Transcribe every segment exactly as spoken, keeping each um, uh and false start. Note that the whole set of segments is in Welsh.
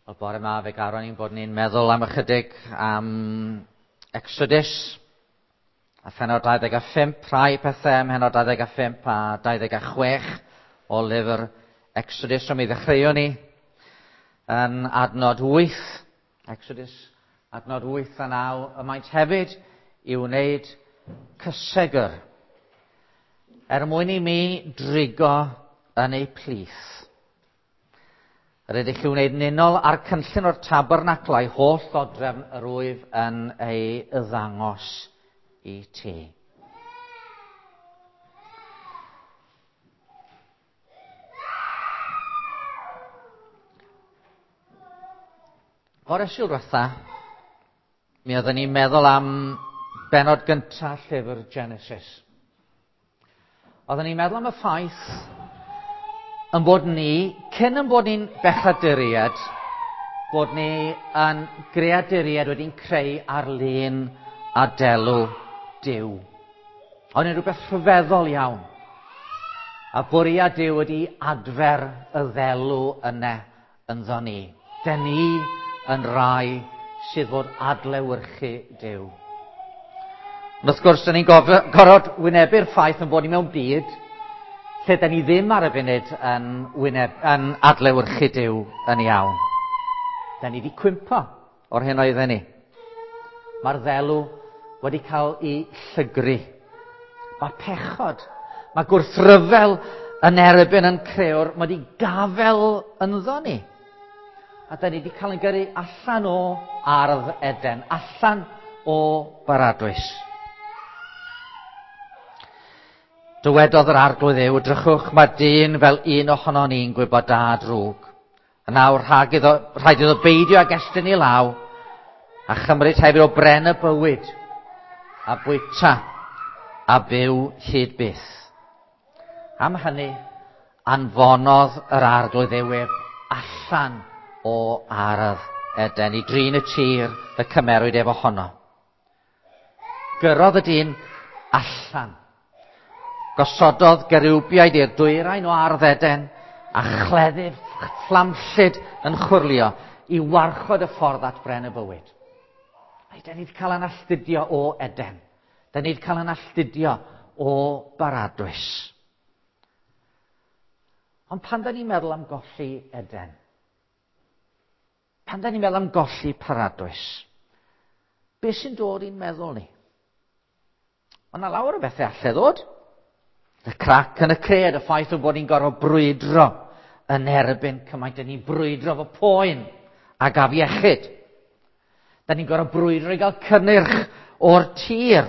Wel, bore yma fe garon ni'n bod ni'n meddwl am ychydig am Exodus a phenod dau ddeg a phump, rhai pethau ym mhenod dau ddeg a phump a dau ddeg a chwech o lyfr Exodus. So mi ddechreuwn ni yn adnod wyth, Exodus adnod wyth a naw, y maent hefyd i wneud cysegr er mwyn i mi drigo yn eu plith. Yr ydych chi wneud yn unol â'r cynllun o'r tabernaclau holl ddodrefn yr wyf yn ei ddangos i ti. Fore Sul diwetha, mi oedden ni'n meddwl am bennod gyntaf llyfr Genesis. Oedden ni'n meddwl am y ffaith yn bod ni, cyn yn bod ni'n bechaduriaid, bod ni yn greaduriaid wedi'n creu ar lun a delw Duw. Ond yn rhywbeth rhyfeddol iawn. A bwriad Duw wedi adfer y ddelw yna ynddo ni. Den ni yn rai sydd fod adlewyrchu Duw. Ond wrth gwrs, dyn ni'n gorfod wynebu'r ffaith yn bod ni mewn byd lle da ni ddim ar y funud yn, wyneb, yn adlewyrchu Duw yn iawn. Da ni wedi cwympo o'r hyn oedden ni. Mae'r ddelw wedi cael ei llygru. Mae pechod, mae gwrthryfel yn erbyn yn crëwr, mae wedi gafel ynddo ni. A da ni wedi cael ein gyrru allan o ardd Eden, allan o baradwys. Dywedodd yr Arglwydd Dduw, drychwch, mae dyn fel un ohono ni'n gwybod da a drwg. A nawr rhag iddo, rhaid iddo beidio ag estyn i law a chymryd hefyd o bren y bywyd a bwyta a byw hyd byth. Am hynny, anfonodd yr Arglwydd Dduw ef allan o ardd Eden i drin y tir y cymerwyd ef ohono. Gyrrodd y dyn allan. Gosododd gerubiaid i'r dwyrain o ardd Eden a chleddyf fflamllyd yn chwyrlio i warchod y ffordd at bren y bywyd. Ai, da ni wedi cael ein alltudio o Eden. Da ni wedi cael ein alltudio o baradwys. Ond pan da ni'n meddwl am golli Eden, pan da ni'n meddwl am golli paradwys, beth sy'n dod i'n meddwl ni? Ond na lawer o bethau allai ddod. Y crac yn y cred, y ffaith o bod ni'n gorfod brwydro yn erbyn cymaint. Da ni'n brwydro fo poen ac afiechyd. Da ni'n gorfod brwydro i gael cynnyrch o'r tir.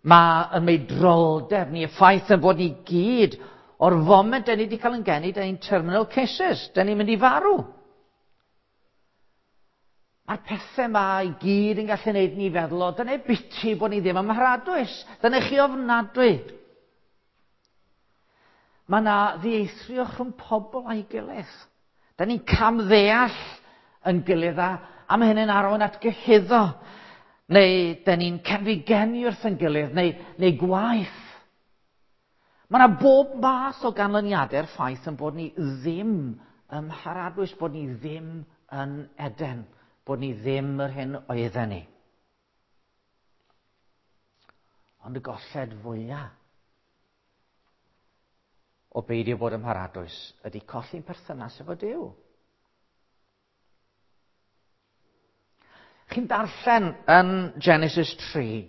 Mae y meidroldeb ni, y ffaith yn bod ni gyd, o'r foment da ni wedi cael yn geni, da ni'n terminal cases, da ni'n mynd i farw. Mae'r pethau yma i gyd yn gallu gwneud ni feddwl o, dyna biti bod ni ddim ym mharadwys, dyna chi ofnadwy. Mae yna ddieithrio rhwng pobl a'i gilydd. Da ni'n camddeall yn gilydd a, a mae hynny'n arwain at gyhuddo. Neu da ni'n cenfigenu wrth yn gilydd, neu, neu gwaith. Mae yna bob math o ganlyniadau'r ffaith yn bod ni ddim ym mharadwys, bod ni ddim yn Eden, bod ni ddim yr hyn oedden ni. Ond y golled fwyaf o beidio bod ym mharadwys ydy colli'n perthynas efo Duw. Chi'n darllen yn Genesis tri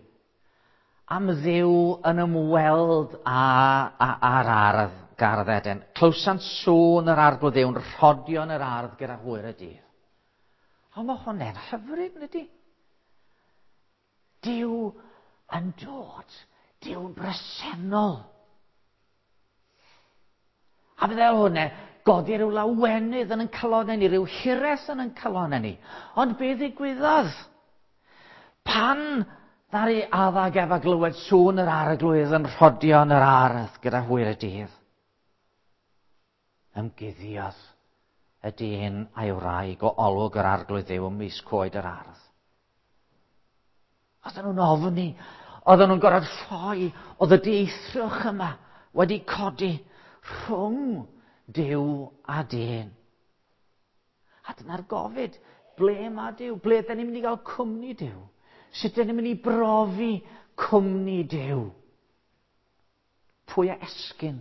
am Dduw yn ymweld â, â, â'r ardd gardd Eden. Clywsant sŵn yr Arglwydd Dduw'n rhodio yn yr ardd gyda hwyr y dydd. Ond mae hwnna'n hyfryd, ydy? Duw yn dod, Duw'n bresennol. A fydde hwnna godi rhyw lawenydd yn ein calonnau ni, rhyw hiraeth yn ein calonnau ni. Ond be ddigwyddodd? Pan ddaru Adda ag Efa glywed sŵn yr Arglwydd yn rhodio yn yr ardd gyda hwyr y dydd, ymguddiodd y dyn a'i wraig o olwg yr Arglwydd Dduw ymysg coed yr ardd. Oedden nhw'n ofni, oedden nhw'n gorfod ffoi, oedd y dieithrwch yma wedi codi rhwng Duw a dyn. A dyna'r gofid. Ble mae Duw? Ble dyn ni'n mynd i gael cwmni Duw? Sut dyn ni'n mynd i brofi cwmni Duw? Pwy a esgyn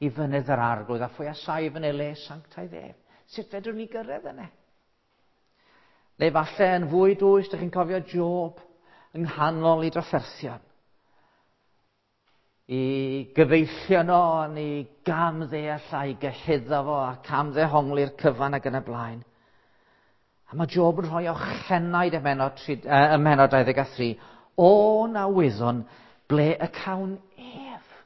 i fynydd yr Arglwydd a phwy a saif yn ei le sanctaidd ef? Sut fedrwn ni gyrraedd yna? Neu falle yn fwy dwys, dych chi'n cofio Job yng nghanol i drafferthion. I gyfeillion o, i gam ddeall a'i gyhuddo fo a cam ddehongli'r cyfan ac yn y blaen. A mae Job yn rhoi ochenaid ym mhennod, ym mhennod dau ddeg a thri, o na wyddwn ble y cawn ef.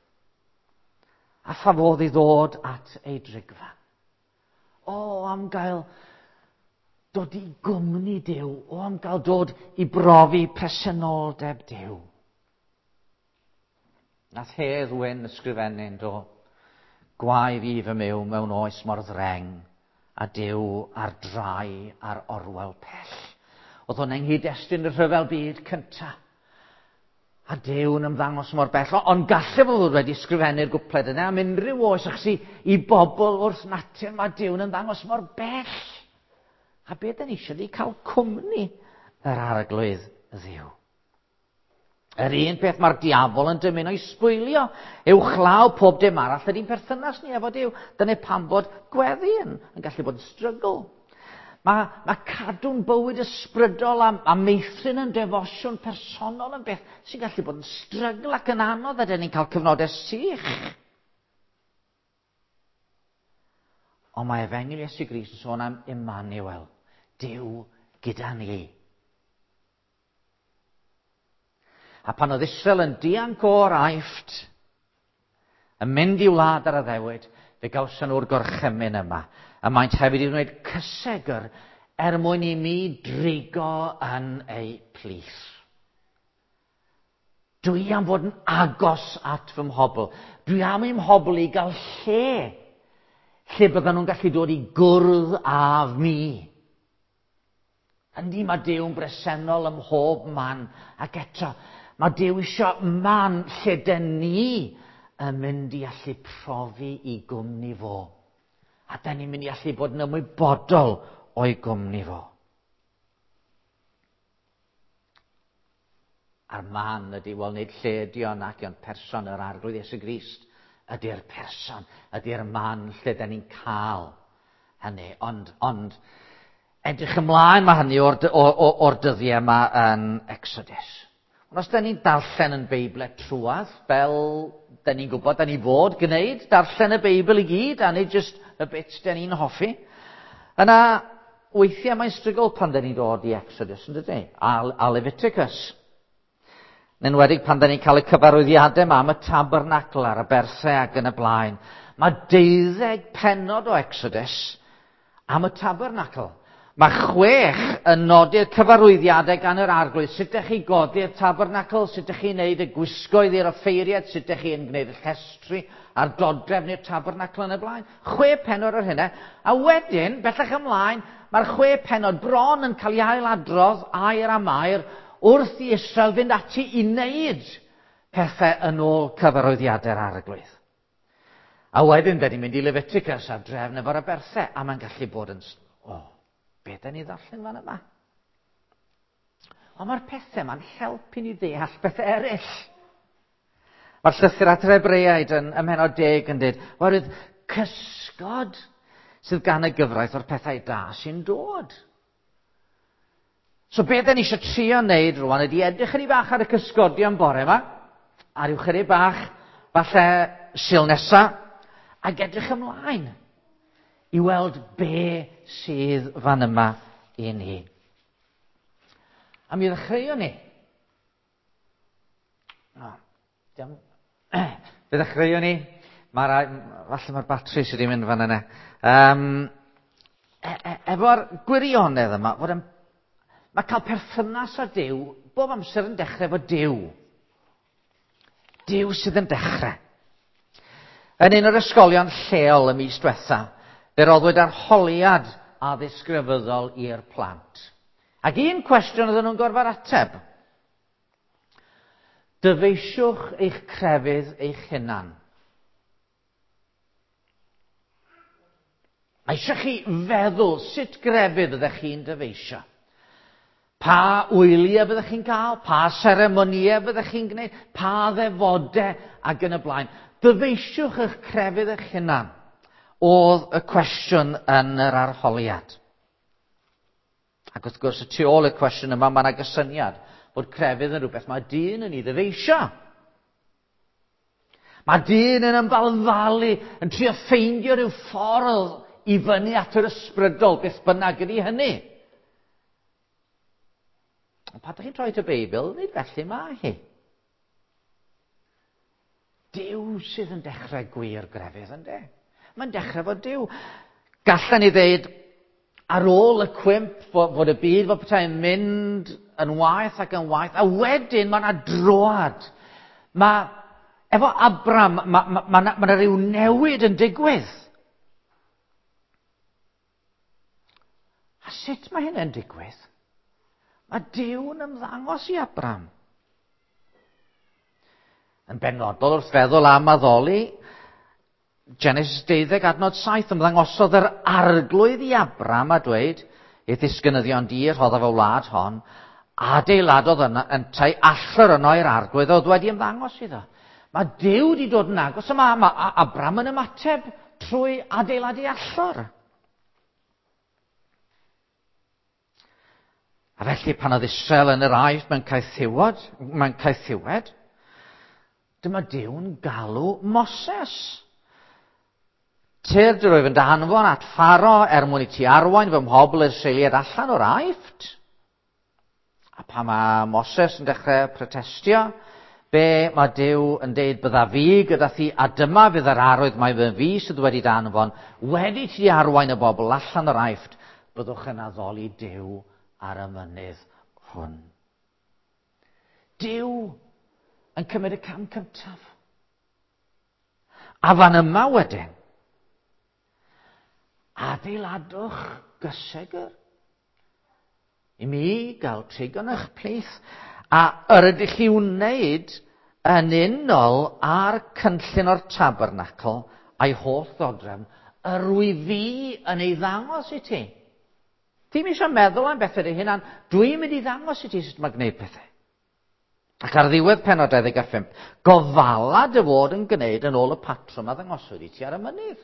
A pha fodd i ddod at ei drigfa. O, am gael dod i gwmni Duw, o am gael dod i brofi presenoldeb Duw. Nath Hedd Wyn ysgrifennu, do, gwae fi fy myw mewn oes mor ddreng, a Duw ar drai ar orwel pell. Oedd hwn yng nghyd-destun y rhyfel byd cynta. A Duw yn ymddangos mor bell. Ond gallai fo fod wedi ysgrifennu'r gwpled yna am unrhyw oes, achos i, i bobl wrth natur mae Duw yn ymddangos mor bell. A be da ni eisiau di cael cwmni yr Arglwydd Dduw. Yr un peth mae'r diafol yn dymuno i sbwylio uwchlaw pob dim arall ydy'n perthynas ni efo Duw. Dyna pam bod gweddi yn, yn gallu bod yn strygl. Mae, mae cadw'n bywyd ysbrydol a, a meithrin yn defosiwn personol yn beth sy'n gallu bod yn strygl ac yn anodd, a dyn ni'n cael cyfnodau sych. Ond mae Efengyl Iesu Grist yn sôn am Emmanuel, Duw gyda ni. A pan oedd Israel yn dianc o'r Aifft, yn mynd i wlad ar addewid, fe gawson nhw'r gorchymyn yma. A maent hefyd i wneud cysegr er mwyn i mi drigo yn eu plith. Dwi am fod yn agos at fy mhobl. Dwi am i'm mhobl i gael lle, lle byddan nhw'n gallu dod i gwrdd â mi. Yndi, mae Duw'n bresennol ym mhob man, ac eto, mae Duw eisiau man lle dyn ni yn mynd i allu profi i gwmni fo. A dyn ni'n mynd i allu bod yn ymwybodol o'i gwmni fo. A'r man ydy, wel nid lle ydy o nac ond person yr Arglwydd Iesu Grist ydy'r person, ydy'r man lle dyn ni'n cael hynny. Ond, ond edrych ymlaen mae hynny o'r, or, or, or dyddiau yma yn Exodus. Ond os dyn ni'n darllen yn Beibl trwadd, fel dyn ni'n gwybod, dyn ni fod gwneud, darllen y Beibl i gyd, a nid jyst y bits dyn ni'n hoffi, yna weithiau mae'n strygl pan dyn ni'n dod i Exodus, yn dydy, a, a Leviticus. Yn enwedig pan dyn ni'n cael y cyfarwyddiadau yma am y tabernacl a'r aberthau ac yn y blaen. Mae deuddeg pennod o Exodus am y tabernacl. Mae chwech yn nodi'r cyfarwyddiadau gan yr Arglwydd. Sut ydych chi godi'r tabernacl, sut ydych chi'n gwneud y gwisgoedd i'r offeiriad, sut ydych chi'n gwneud y llestri a'r dodrefn i'r tabernacl yn y blaen. Chwe pennod ar hynna. A wedyn, bellach ymlaen, mae'r chwe pennod bron yn cael ei ailadrodd air am air wrth i Israel fynd ati i wneud pethau yn ôl cyfarwyddiadau'r Arglwydd. A wedyn, da ni'n mynd i Leviticus a'r drefn efo'r aberthau, a mae'n gallu bod yn... Oh, be da ni ddarllen fan yma? Ond mae'r pethau yma'n helpu ni ddeall pethau eraill. Mae'r llythyr at yr Hebreaid yn ym mhennod deg yn dweud, oherwydd cysgod sydd gan y gyfraith o'r pethau da sy'n dod. So be da ni eisiau trio wneud rwan ydy edrych chydig bach ar y cysgodion bore yma, a ryw chydig bach falle Sul nesa, ac edrych ymlaen i weld be sydd fan yma i ni. A mi ddechreuon ni. O, diam... Fe ddechreuon ni. Mae'r, falle mae'r batri sydd wedi mynd fan yna. Um, e, e, efo'r gwirionedd yma, fod yn, mae cael perthynas â Duw bob amser yn dechrau efo Duw. Duw sydd yn dechrau. Yn un o'r ysgolion lleol y mis diwetha, fe roddwyd arholiad addysg grefyddol i'r plant. Ac un cwestiwn oedden nhw'n gorfod ateb. Dyfeisiwch eich crefydd eich hunan. A eisiau chi feddwl sut grefydd ydych chi'n dyfeisio. Pa wyliau fyddech chi'n cael, pa seremonïau fyddech chi'n gwneud, pa ddefodau ac yn y blaen. Dyfeisiwch eich crefydd eich hunan, oedd y cwestiwn yn yr arholiad. Ac wrth gwrs, y tu ôl y cwestiwn yma, mae yna gysyniad bod crefydd yn rhywbeth mae dyn yn ei ddyfeisio. Mae dyn yn ymbalfalu, yn trio ffeindio rhyw ffordd i fyny at yr ysbrydol, beth bynnag ydy hynny. Ond pan ydych chi'n troi at y Beibl, nid felly mae hi. Duw sydd yn dechrau gwir grefydd, yndê? Mae'n dechrau fod Duw. Gallen ni ddeud, ar ôl y cwymp, fod, fod y byd fod petai'n mynd yn waeth ac yn waeth, a wedyn mae yna droad. Mae, efo Abram, mae ma, ma, ma, ma yna rhyw newid yn digwydd. A sut mae hynny'n digwydd? Mae Duw'n ymddangos i Abram. Yn benodol wrth feddwl am addoli, Genesis deuddeg adnod saith, ymddangosodd yr arglwydd i Abram a dweud, ei ddisgynyddion di rhoddaf y wlad hon, adeiladodd yna yntau allor yno i'r arglwydd oedd wedi ymddangos iddo. Mae Duw wedi dod yn agos, a mae, mae Abram yn ymateb trwy adeiladu allor. A felly pan oedd Israel yn yr Aifft mewn caethiwed, mewn caethiwed, dyma Duw'n galw Moses. Tyrd yr wyf yn dy hanfon at Pharo er mwyn i ti arwain fy mhobl i'r Israeliaid allan o'r Aifft. A pan mae Moses yn dechrau protestio, be mae Duw yn deud, bydda fi gyda thi, a dyma fydd yr arwydd mae fy fi sydd wedi dy anfon, wedi ti arwain y bobl allan o'r Aifft, byddwch yn addoli Duw ar y mynydd hwn. Duw yn cymryd y cam cyntaf. A fan yma wedyn, adeiladwch gysegr i mi gael trigo'n eich plith, a yr ydych chi wneud yn unol â'r cynllun o'r tabernacl a'i holl ddodrefn, yr wyf fi yn ei ddangos i ti. Ti'n eisiau meddwl am bethau dy hunan, dwi'n mynd i ddangos i ti sut mae gwneud pethau. Ac ar ddiwedd pennod dau ddeg a phump, gofala dy fod yn gwneud yn ôl y patrwm a ddangoswyd i ti ar y mynydd.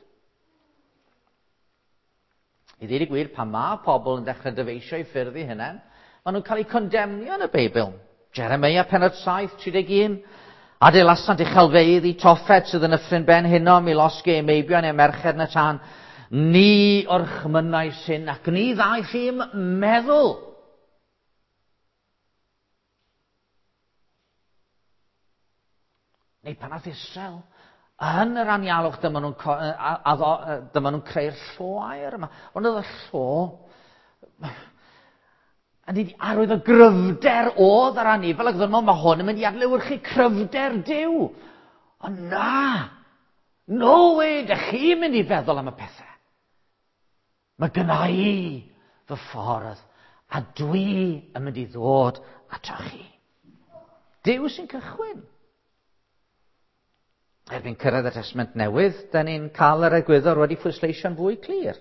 I ddweud y gwir, pan mae pobl yn dechrau dyfeisio eu ffyrdd eu hunain, maen nhw'n cael eu condemnio yn y Beibl. Jeremia pennod saith, tri deg un, adeilasant uchelfeydd i Toffet sydd yn Nyffryn Ben Hinnom i losgi eu meibion eu merched yn y tân. Ni orchmynnais hyn ac ni ddaeth i'm meddwl. Neu pan ath Israel yn yr anialwch, dyma nhw'n, dyma nhw'n creu'r llo aur yma. Ond oedd y llo yn arwydd o gryfder oedd yr anifel, ac oedd nhw'n, mae hwn yn mynd i adlewyrchu cryfder Duw. Ond na, no way, dych chi'n mynd i feddwl am y pethau. Mae gynna i fy ffordd, a dwi yn mynd i ddod ato chi. Duw sy'n cychwyn. Erbyn cyrraedd y Testament Newydd, da ni'n cael yr egwyddor wedi phwysleisio'n fwy clir.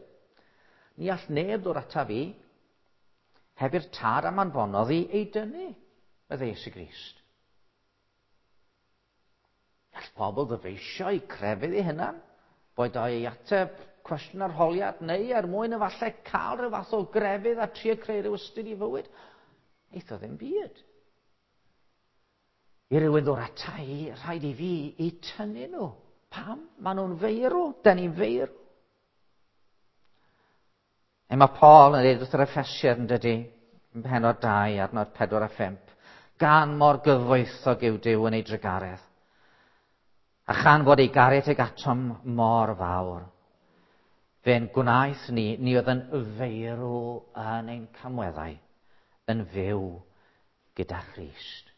Ni all neb ddod ata fi, heb i'r tad am anfonodd i ei dynnu, meddai Iesu Grist. Gall pobl ddyfeisio eu crefydd eu hunan, boed o ei ateb cwestiwn arholiad, neu er mwyn efallai cael rhyw fath o grefydd a trio creu rhyw ystyr i fywyd. Neith o ddim byd. I rywun ddod ata i, rhaid i fi i tynnu nhw. Pam? Maen nhw'n feirw, da ni'n feirw. E mae Paul yn dweud wrth yr Effesiaid yn dydy, yn pennod dau, adnod pedwar a phump, gan mor gyfoethog yw Duw yn ei drugaredd, a chan fod ei gariad tuag atom mor fawr, fe'n gwnaeth ni, ni oedd yn feirw yn ein camweddau, yn fyw gyda Christ.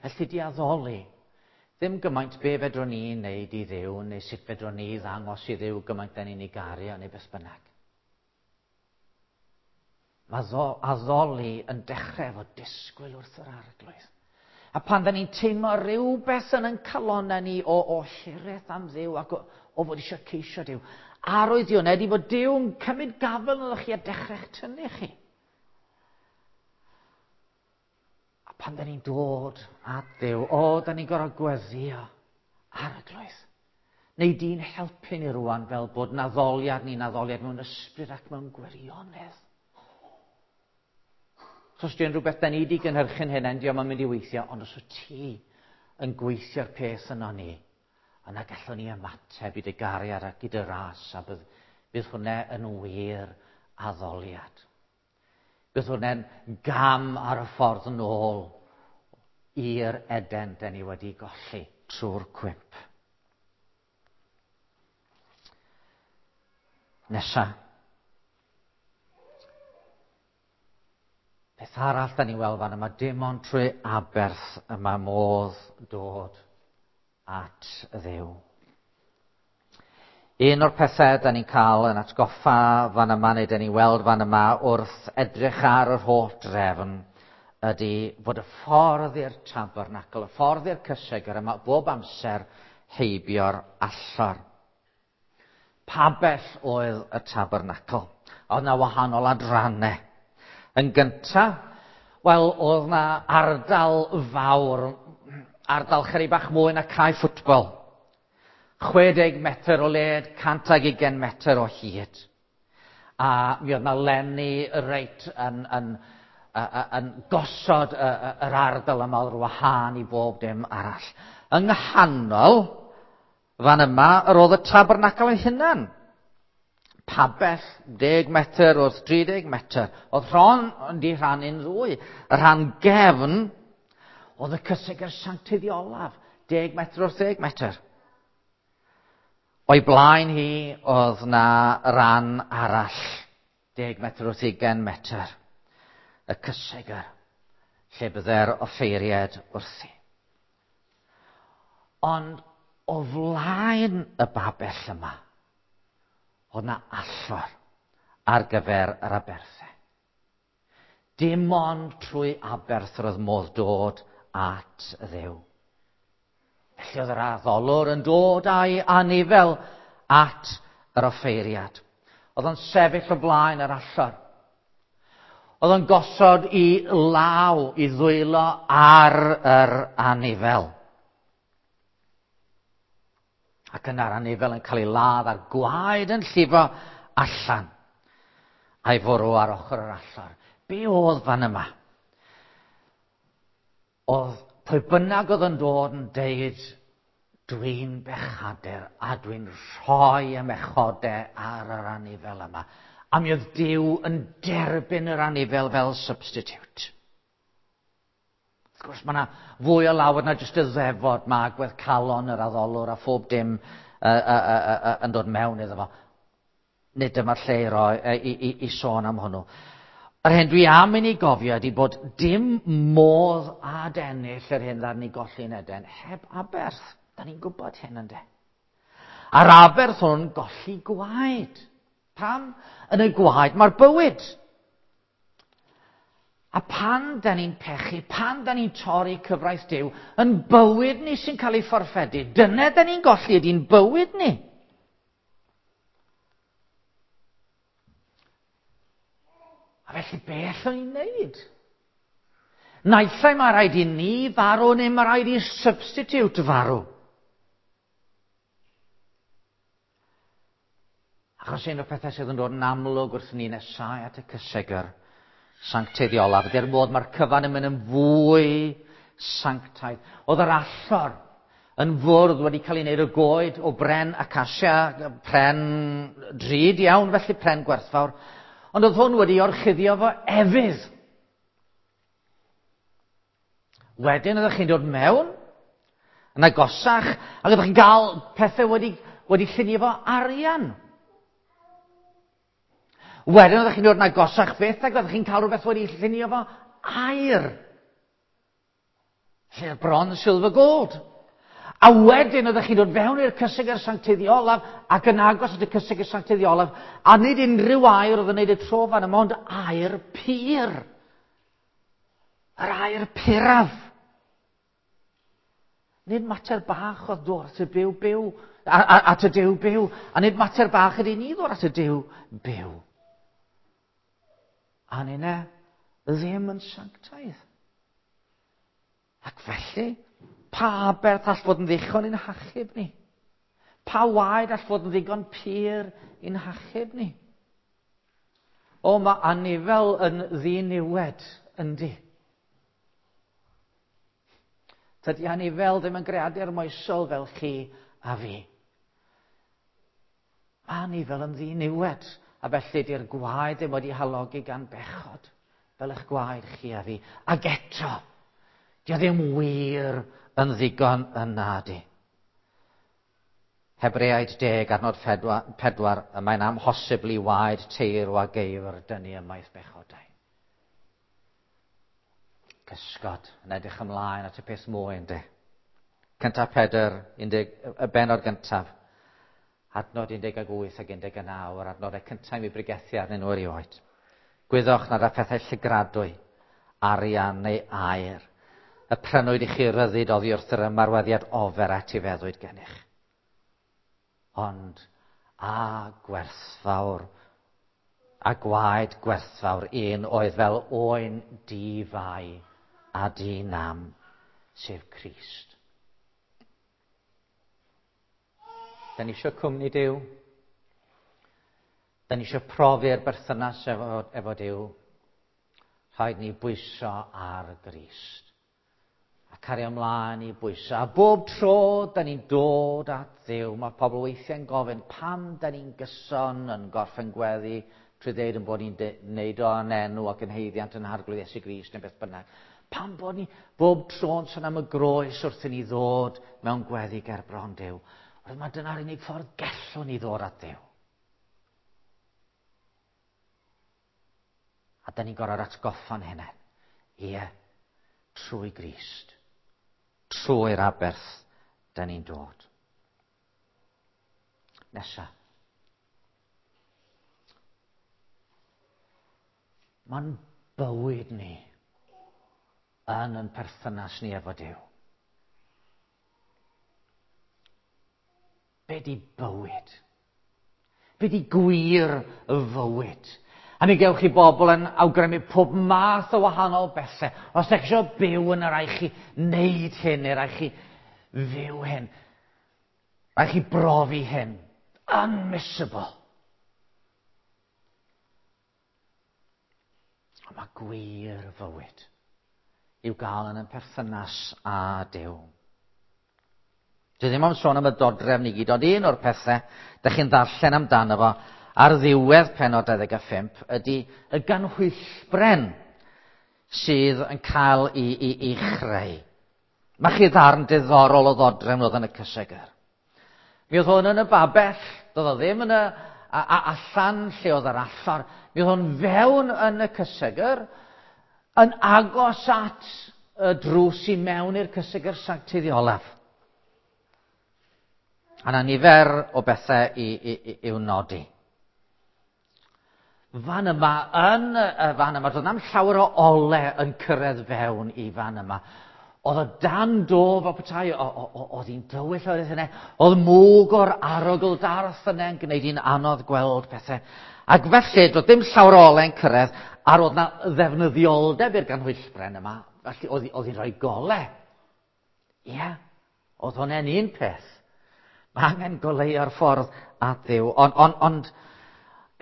Felly di addoli, ddim gymaint be fedrwn ni wneud i Dduw, neu sut fedrwn ni ddangos i Dduw gymaint da ni'n ei garu, neu beth bynnag. Mae addoli yn dechrau efo disgwyl wrth yr arglwydd. A pan da ni'n teimlo rhywbeth yn ein calonnau ni o, o hiraeth am Dduw ac o, o fod eisiau ceisio Duw, arwydd yw ydy fod Duw yn cymryd gafel ynoch chi a dechrau'ch tynnu chi. A pan da ni'n dod at Dduw, o, da ni'n gorfod gweddïo Arglwydd. Neu di'n helpu ni rwan fel bod naddoliad ni'n addoliad mewn ysbryd ac mewn gwirionedd. Os di'n rhywbeth da ni wedi gynhyrchu'n hyn, dio'm yn mynd i weithio, ond os wyt ti yn gweithio'r peth yno ni, yna gallwn ni ymateb i dy gariad ac i dy ras, a bydd, bydd hwnna yn wir addoliad. Bydd hwnna'n gam ar y ffordd yn ôl i'r Eden da ni wedi golli trwy'r cwymp. Nesa. Peth arall da ni'n weld fan yma, dim ond trwy aberth y mae modd dod at Dduw. Un o'r pethau da ni'n cael yn atgoffa fan yma, neu da ni'n weld fan yma wrth edrych ar yr holl drefn, ydy fod y ffordd i'r tabernacl, y ffordd i'r cysegr yma, bob amser heibio'r allor. Pabell oedd y tabernacl. Oedd na wahanol adrannau. Yn gyntaf, wel, oedd na ardal fawr, ardal chydig bach mwy na cae ffwtbol. chwe deg metr o led, cant ag ugain metr o hyd. A mi oedd na lenni reit yn, yn, yn, yn gosod yr ardal yma o'r wahân i bob dim arall. Yng nghanol, fan yma, yr oedd y tabernacl ei hunan. Pabell deg metr wrth tri deg metr. Oedd rhan wedi rhannu'n ddwy. Y rhan gefn oedd y cysegr sancteiddiolaf, deg metr wrth deg metr. O'i blaen hi oedd na ran arall, deg metr wrth ugain metr. Y cysegr, lle bydde'r offeiriad wrthi. Ond o flaen y babell yma, oedd na allor ar gyfer yr aberthau. Dim ond trwy aberth yr oedd modd dod at Dduw. Felly oedd yr addolwr yn dod â'i anifel at yr offeiriad. Oedd o'n sefyll o blaen yr allor. Oedd o'n gosod i law, i ddwylo ar yr anifel. Ac yna'r anifel yn cael ei ladd a'r gwaed yn llifo allan a'i fwrw ar ochr yr allor. Be oedd fan yma? Oedd pwy bynnag oedd yn dod yn deud, dwi'n bechadur a dwi'n rhoi y mechodau ar yr anifel yma. A mi oedd Duw yn derbyn yr anifel fel substitute. Wrth gwrs, mae yna fwy o lawer na jyst y ddefod, mae agwedd calon yr addolwr a phob dim uh, uh, uh, uh, yn dod mewn iddo fo. Nid dyma'r lle i, roi, i, i, i sôn am hwnnw. Yr hyn dwi am i ni gofio ydy bod dim modd adennill yr hyn ddaru ni golli yn Eden heb aberth. Da ni'n gwybod hyn ynde. A'r aberth hwn golli gwaed. Pam? Yn y gwaed mae'r bywyd. A pan da ni'n pechu, pan da ni'n torri cyfraith Duw, yn bywyd ni sy'n cael ei fforffedu. Dyna da ni'n golli ydy'n bywyd ni. A felly be allwn ni wneud? Naill ai mae rhaid i ni farw neu mae rhaid i substitute farw. Achos un o'r pethau sydd yn dod yn amlwg wrth ni nesau at y cysegr sancteiddiolaf, ydy'r modd mae'r cyfan yn mynd yn fwy sanctaidd. Oedd yr allor yn fwrdd wedi cael ei wneud o goed, o bren acacia, pren drud iawn, felly pren gwerthfawr. Ond oedd hwn wedi orchuddio fo efydd. Wedyn oeddech chi'n dod mewn, yn agosach, ac oeddech chi'n cael pethau wedi, wedi llunio fo arian. Wedyn oeddech chi'n dod yn agosach fyth, ac oeddech chi'n cael rhywbeth wedi llunio fo aur. Lle bronze, silver, gold. A wedyn oeddech chi'n dod fewn i'r cysegr sancteiddiolaf ac yn agos at y cysegr sancteiddiolaf, a nid unrhyw aur oedd yn neud y tro fan yma, ond aur pur. Yr aur puraf. Nid mater bach oedd dod at y byw byw, at y Duw byw, a nid mater bach ydy ni ddod at y Duw byw. A ninne ddim yn sanctaidd. Ac felly, pa aberth all fod yn ddichon i'n hachub ni? Pa waed all fod yn ddigon pur i'n hachub ni? O, mae anifel yn ddiniwed, yndi. Tydi anifel ddim yn greadur moesol fel chi a fi. Mae anifel yn ddiniwed, a felly di'r gwaed ddim wedi halogi gan bechod, fel eich gwaed chi a fi. Ac eto, di o ddim wir yn ddigon yna di. Hebreaid deg, adnod pedwar, y mae'n amhosibl i waed teirw a geifr dynnu ymaith bechodau. Cysgod yn edrych ymlaen at y peth mwy, ynddi. Cyntaf Pedr, undeg, y bennod gyntaf, adnod un deg wyth ac un deg naw, yr adnodau cyntaf i mi bregethu arnyn nhw erioed. Gwyddoch nad â phethau llygradwy, arian neu aur, y prynwyd i chi ryddid oddi wrth yr ymarweddiad ofer a etifeddwyd gennych. Ond a gwerthfawr, a gwaed gwerthfawr un oedd fel oen di-fai a di-nam, sef Crist. Da ni eisiau cwmni Duw. Da ni eisiau profi'r berthynas efo, efo Duw. Rhaid ni bwyso ar Grist. A cario ymlaen i bwyso. A bob tro da ni'n dod at Dduw, mae pobl weithiau'n gofyn pam da ni'n gyson yn gorffen gweddi trwy ddeud yn bod ni'n neud o yn enw ac yn haeddiant yn Arglwydd Iesu Grist neu beth bynnag. Pam bod ni bob tro'n sôn am y groes wrth i ni ddod mewn gweddi ger bron Duw? Oherwydd mae dyna'r unig ffordd gellwn ni ddod at Dduw. A da ni'n gorfod atgoffa'n hunain. Ie, trwy Grist. Trwy'r aberth da ni'n dod. Nesa. Mae'n bywyd ni yn yn perthynas ni efo Duw. Be di bywyd? Be di gwir y fywyd? A mi gewch chi bobl yn awgrymu pob math o wahanol bethau. Os ydych chi eisiau byw yna, rhaid chi wneud hyn, neu rhaid chi fyw hyn. Rhaid chi brofi hyn. Unmissable. Ond mae gwir fywyd i'w gael yn y perthynas â Duw. Dwi ddim am sôn am y dodrefn i gyd, ond un o'r pethau dych chi'n ddarllen amdano fo ar ddiwedd pennod dau ddeg a phump ydy y ganhwyllbren sydd yn cael ei, ei, ei chreu. Mae chi ddarn diddorol o ddodrefn oedd yn y cysegr. Mi oedd hwn yn y babell, doedd o ddim yn y a, a, allan lle oedd yr allor. Mi oedd hwn fewn yn y cysegr, yn agos at y drws i mewn i'r cysegr sancteidd olaf. A na nifer o bethau i, i, i, i'w nodi. Fan yma, yn y fan yma, doedd na'm llawer o ole yn cyrraedd fewn i fan yma. Oedd o dan do fel petai, oedd hi'n dywyll oedd yna, oedd mwg o'r arogl darth yna yn gwneud hi'n anodd gweld pethau. Ac felly, doedd dim llawer o ole yn cyrraedd, a roedd na ddefnyddioldeb i'r ganhwyllbren yma, felly oedd hi'n rhoi gole. Ie, yeah, oedd hwnna'n un peth. Mae angen goleuo'r ffordd at Dduw, ond, on, ond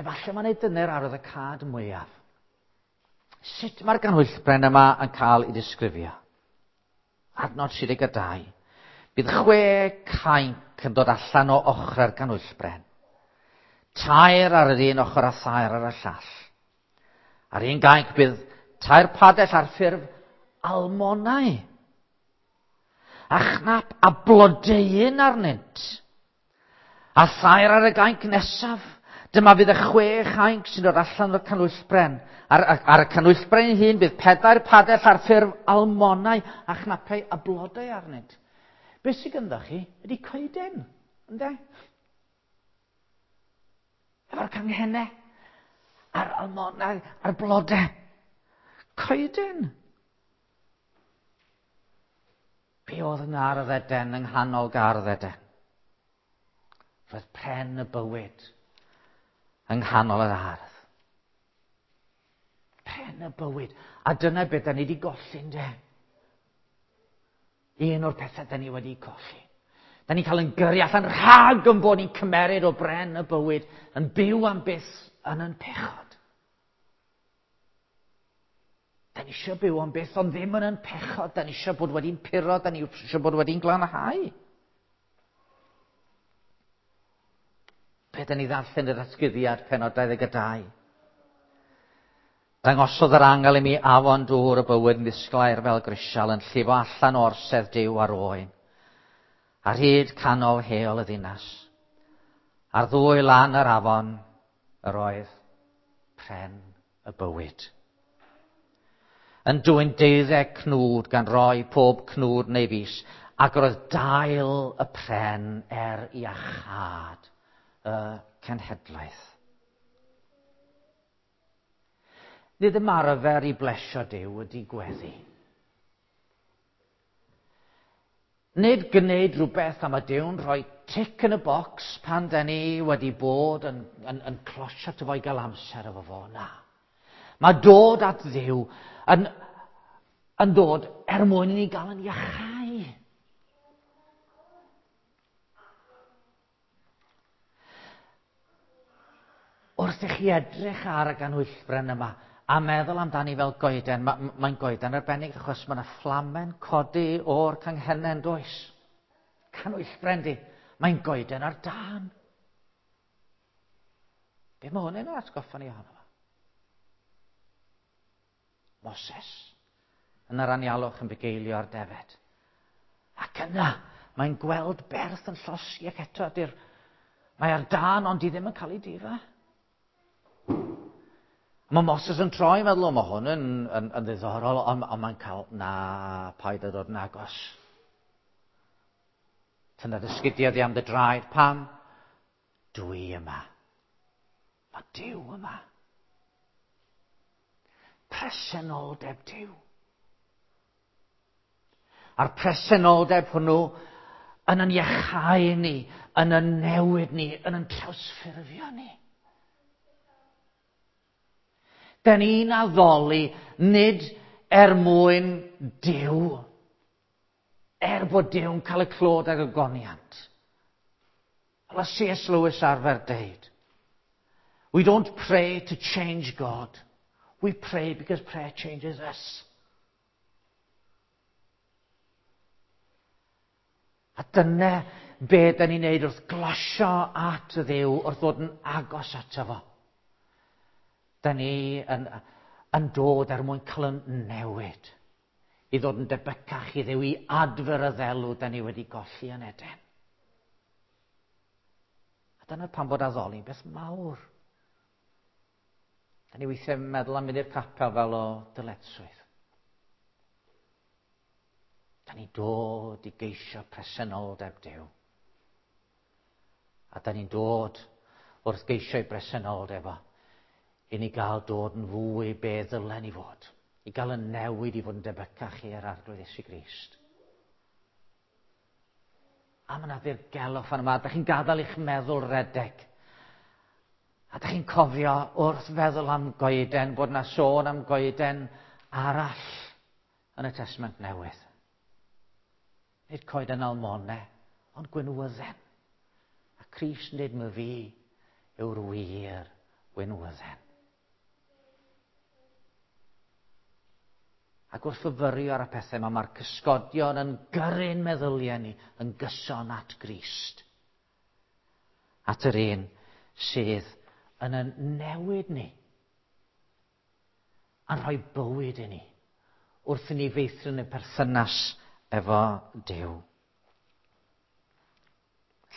efallai mae'n ei dyna'r arwydd y cad mwyaf. Sut mae'r ganhwyllbren yma yn cael ei ddisgrifio? Adnod tri deg dau. Bydd chwe cainc yn dod allan o ochrau'r ganhwyllbren. Tair ar yr un ochr a thair ar y llall. Ar un gainc bydd tair padell ar ffurf almonau. A chnap a blodeuyn arnynt. A thair ar y gainc nesaf. Dyma fydd y chwe chainc sy'n dod allan o'r canhwyllbren. Ar, ar, ar y canhwyllbren ei hun bydd pedair padell ar ffurf almonau a chnapau a blodau arnynt. Be sydd gyda chi ydy coeden, ynde? Efo'r canghennau, a'r almonau, a'r blodau. Coeden. Be oedd yng Ngardd Eden, yng nghanol Gardd Eden? Roedd pren y bywyd yng nghanol yr ardd. Pren y bywyd. A dyna beth da ni wedi golli, ynde? Un o'r pethau da ni wedi colli. Da ni'n cael yn gyrru allan rhag yn bod ni'n cymeryd o bren y bywyd, yn byw am byth yn yn pechod. Da ni eisiau byw am byth, ond ddim yn yn pechod. Da ni eisiau bod wedi'n puro, da ni eisiau bod wedi'n glanhau. Be da ni ddarllen yr atgyddiad penod dau ddeg dau. Dangosodd yr angel i mi afon dŵr y bywyd yn ddisglair fel grisial yn llifo allan o orsedd Duw ar oen, ar hyd canol heol y ddinas. Ar ddwy lan yr afon yr oedd pren y bywyd. Yn dwyn deuddeg cnwd gan roi pob cnwd neu fus, ac yr oedd dail y pren er iachâd y cenhedlaeth. Nid ymarfer i blesio Duw ydy gweddi. Nid gwneud rhywbeth am y Duw'n rhoi tic yn y bocs pan da ni wedi bod yn, yn, yn closio ato fo i gael amser efo fo, na. Mae dod at Dduw yn, yn dod er mwyn i ni gael yn iachau. Wrth i chi edrych ar y ganhwyllbren yma a meddwl amdani fel goeden, mae'n ma goeden arbennig achos mae yna fflamen codi o'r canghennau, does? Canwyllbren di, mae'n goeden ar dân. Be mae hwn yn atgoffa ni ohono fo? Moses yn yr anialwch yn bugeilio ar defed. Ac yna, mae'n gweld berth yn llosgi ac eto ydy'r... Mae ar dân, ond di ddim yn cael ei difa. Mae Moses yn troi, meddwl, o, mae hwn yn, yn, yn ddiddorol, ond, ond mae'n cael, na, paid â dod yn agos. Tynna dy sgidiau di am dy draed, pam? Dwi yma. Mae Duw yma. Presenoldeb Duw. A'r presenoldeb hwnnw yn yn iachau ni, yn yn newid ni, yn yn trawsffurfio ni. Da ni'n addoli nid er mwyn Duw, er bod Duw'n cael y clod ag y goniant. Fel y C S Lewis arfer deud, we don't pray to change God, we pray because prayer changes us. A dyna be da ni'n neud wrth glosio at y Dduw, wrth ddod yn agos ato fo. Da ni yn, yn dod er mwyn cael yn newid, i ddod yn debycach i Dduw, i adfer y ddelw da ni wedi golli yn Eden. A dyna pam bod addoli'n beth mawr. Da ni weithiau yn meddwl am mynd i'r capel fel o dyletswydd. Da ni'n dod i geisio presenoldeb Duw. A da ni'n dod wrth geisio ei bresenoldeb o, i ni gael dod yn fwy be ddylen ni fod. I gael yn newid i fod yn debycach i'r Arglwydd Iesu Grist. A mae yna ddirgelwch fan yma. Da chi'n gadael i'ch meddwl redeg. A da chi'n cofio wrth feddwl am goeden, bod yna sôn am goeden arall yn y Testament Newydd. Nid coeden almone, ond gwynwydden. A Crist nid my fi yw'r wir gwynwydden. Ac wrth fyfyrio ar y pethau yma, mae'r cysgodion yn gyrru'n meddyliau ni yn gyson at Grist. At yr un sydd yn yn newid ni, yn rhoi bywyd i ni, wrth i ni feithrin y perthynas efo Duw.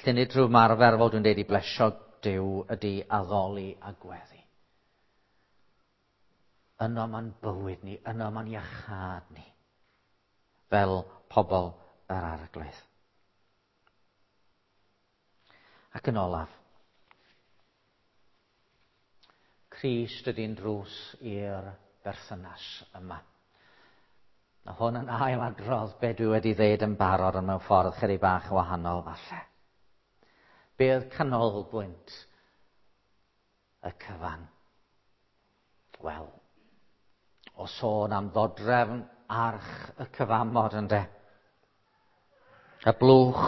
Felly nid rhyw ymarfer, fel dwi'n deud, i blesio Duw ydy addoli a gweddi. Yno mae'n bywyd ni, yno mae'n iachâd ni, fel pobl yr Arglwydd. Ac yn olaf, Crist ydy'n drws i'r berthynas yma. A hwn yn ail adrodd be dwi wedi ddeud yn barod, ond mewn ffordd chydig bach yn wahanol falle. Be oedd canolbwynt y cyfan? Wel, o sôn am ddodrefn arch y cyfamod ynde. Y blwch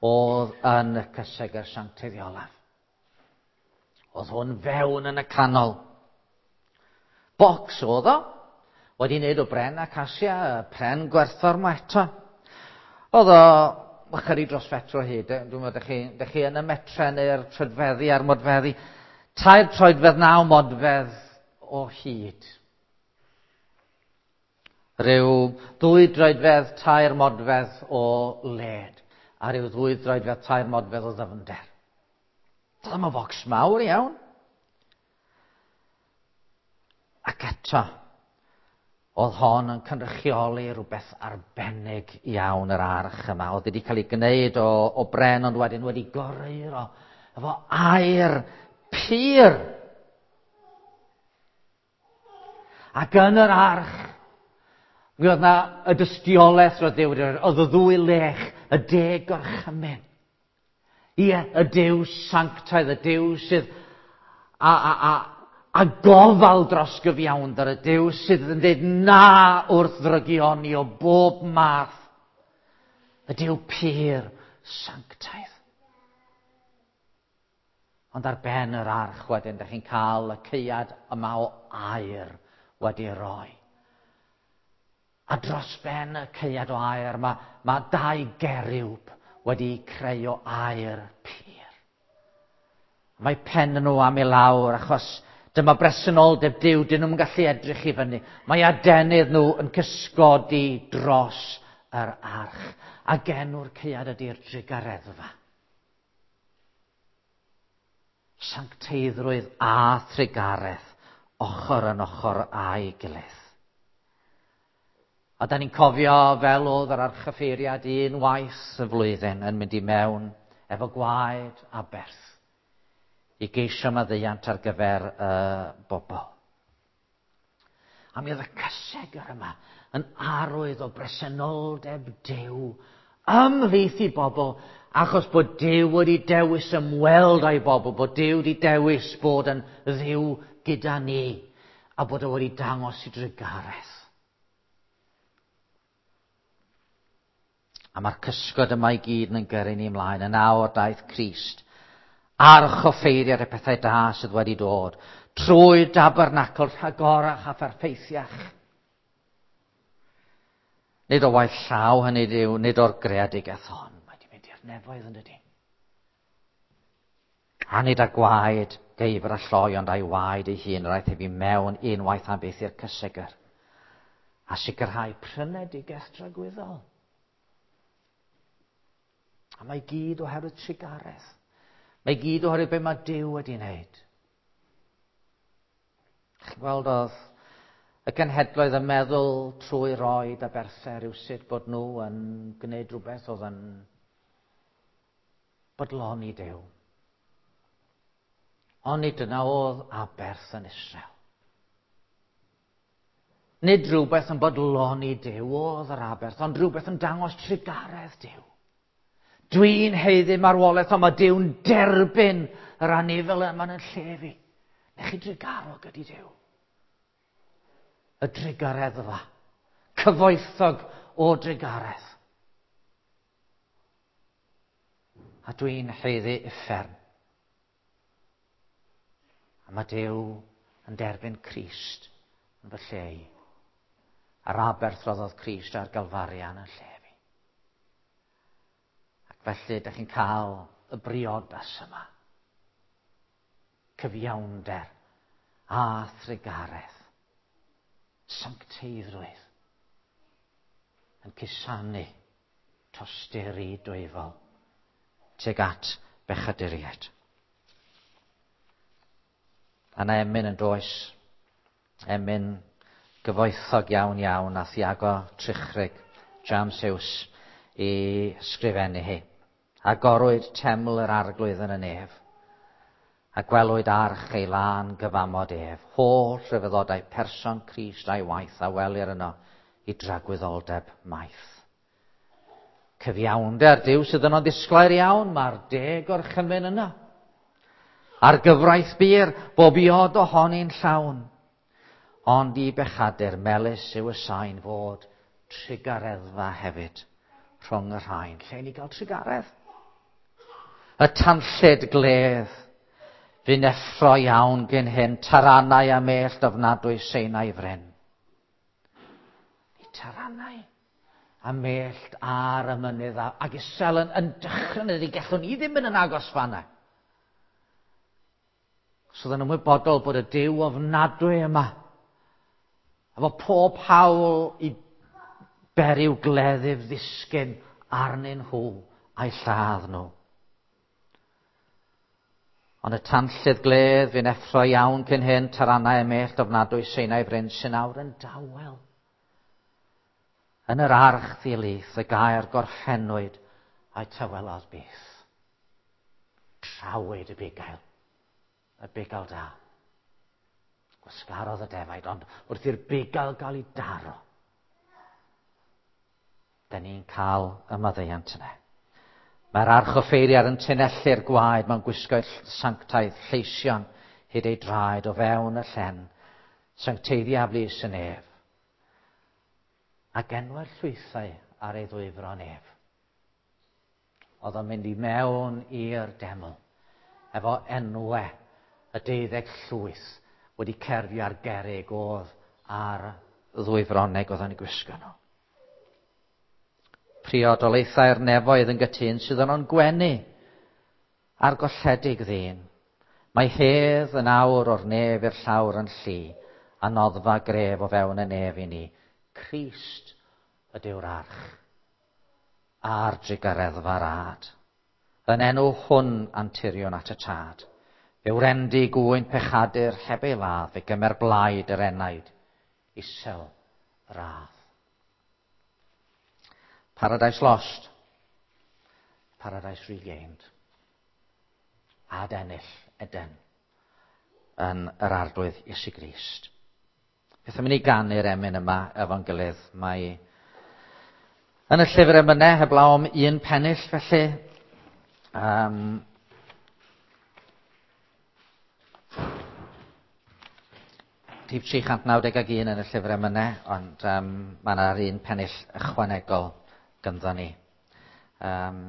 oedd yn y cysegr sancteiddiolaf. Oedd hwn fewn yn y canol. Bocs oedd o, wedi wneud o bren acasia, pren gwerthfawr ma eto. Oedd o ychydig dros fetr o hyd, dwi'n meddwl, dych chi, dych chi yn y metre neu'r troedfeddi a'r modfeddi. Tair troedfedd naw modfedd o hyd. Rhyw ddwy droedfedd tair modfedd o led, a rhyw ddwy droedfedd tair modfedd o ddyfnder. Dyma focs mawr iawn. Ac eto, oedd hon yn cynrychioli rhywbeth arbennig iawn yr arch yma. Oedd wedi cael ei gwneud o, o bren, ond wedyn wedi goreuro efo aer pur. Ac yn yr arch, mi oedd na y dystiolaeth roedd Duw wedi rhoi, oedd y ddwy lech, y deg gorchymyn. Ie, y Duw sanctaidd, y Duw sydd a, a, a, a gofal dros gyfiawnder, y Duw sydd yn dweud na wrth ddrygioni o bob math. Y Duw pur sanctaidd. Ond ar ben yr arch wedyn, dych chi'n cael y caead yma o aer wedi roi. A dros ben y caead o aer, mae, mae dau geriwb wedi creu o aer pur. Mae pen nhw am i lawr, achos dyma bresenoldeb Duw, dyn nhw'n gallu edrych i fyny. Mae adenydd nhw yn cysgodi dros yr arch. Ac enw'r caead ydy'r drugareddfa. Sancteiddrwydd a thrugaredd, ochr yn ochr â'i gilydd. A da ni'n cofio fel oedd yr archoffeiriad un waith y flwyddyn yn mynd i mewn efo gwaed aberth i geisio maddeuant ar gyfer y bobl. A mi oedd y cysegr yma yn arwydd o bresenoldeb Duw ymhlith i bobl, achos bod Duw wedi dewis ymweld â'i bobl, bod Duw wedi dewis bod yn Dduw gyda ni, a bod o wedi dangos i drugaredd. A mae'r cysgod yma i gyd yn gyrru ni ymlaen. Yn awr daeth Crist, archoffeiriad y pethau da sydd wedi dod, trwy dabernacl rhagorach a pherffeithiach. Nid o waith llaw hynny yw, nid o'r greadigaeth hon. Mae wedi mynd i'r nefoedd yn dydi. A nid â gwaed geifr a lloi, ond a'i waed ei hun, yr aeth ef i mewn unwaith am byth i'r cysegr, a sicrhau prynedigaeth dragwyddol. A mae gyd oherwydd trugaredd. Mae gyd oherwydd be mae Duw wedi wneud. Chi'n gweld oedd y genhedloedd yn meddwl trwy roed aberthau rywsut bod nhw yn gwneud rhywbeth oedd yn bodloni Duw. Ond nid dyna oedd aberth yn Israel. Nid rhywbeth yn bodloni Duw oedd yr aberth, ond rhywbeth yn dangos trugaredd Duw. Dwi'n haeddu marwolaeth, ond mae Duw'n derbyn yr anifel yma yn lle fi. Neu chi drugarog ydy Duw. Y drugareddfa, cyfoethog o drugaredd. A dwi'n haeddu uffern. A mae Duw yn derbyn Crist yn fy lle i. A'r aberth roddodd Crist ar Galfarian yn lle fi. Ac felly, ydych chi'n cael y briodas yma. Cyfiawnder a thrugaredd. Sancteiddrwydd. Yn cusanu tosturi dwyfol tuag at bechaduriaid. A na emyn yn does, emyn gyfoethog iawn iawn a Thiago Trichrig, James Hughes, i sgrifennu hi. Agorwyd teml yr arglwydd yn y nef, a gwelwyd arch ei lân gyfamod ef. Holl rhyfeddodau person Crist a'i waith a welir yno i dragwyddoldeb maith. Cyfiawnder Duw sydd yno'n ddisglair iawn, mae'r deg orchymyn yna. A'r gyfraith bur, bob iod ohoni'n llawn. Ond i bechadur melys yw y sain fod trugareddfa hefyd rhwng y rhain. Lle ni gael trugaredd? Y tanllyd gledd, fu'n effro iawn gyn hyn, taranau a mellt ofnadwy Seinau fryn. I taranau a mellt ar y mynydd a, ac isel yn, yn dychryn ydy, gallwn ni ddim mynd yn agos fanna. So oedd yn ymwybodol bod y Duw ofnadwy yma, efo pob hawl i beriw gleddyf ddisgyn arnyn nhw a'i lladd nhw. Ond y tanllyd gledd fu'n effro iawn cyn hyn, taranau a mellt ofnadwy Seinau fryn sy'n awr yn dawel. Yn yr arch ddilith y gair gorffennwyd a'i tawelodd byth. Trawyd y bugail, y bugail da. Gwasgarodd y defaid, ond wrth i'r bugail gael ei daro, da ni'n cael y maddeuant yna. Mae'r archoffeiriad yn tynellu'r gwaed mewn gwisgoedd sanctaidd lleision hyd ei draed o fewn y llen, sancteiddia flys y nef, ac enwau'r llwythau ar ei ddwyfron ef. Oedd o'n mynd i mewn i'r deml, efo enwau y deuddeg llwyth wedi cerfio ar gerrig oedd ar ddwyfroneg oedd o'n ei gwisgo nhw. Priodolaethau'r nefoedd yn gytun sydd yno'n gwenu ar golledig ddyn. Mae hedd yn awr o'r nef i'r llawr yn llu, a noddfa gref o fewn y nef i ni. Crist ydyw'r arch, a'r drugareddfa'r ad. Yn enw hwn anturion at y tad. Fe wrendy gŵyn pechadur heb ei ladd, fe gymer blaid yr enaid, isel radd. Paradise lost, paradise regained. Ad ennill Eden yn yr Arglwydd Iesu Grist. Beth am i ni ganu'r emyn yma efo'n gilydd? Mae yn y llyfr emynau heblaw am un pennill felly. Um, rhif tri chant naw deg ag un yn y llyfr emynau, ond um, mae yna'r un pennill ychwanegol ganddo ni. Um,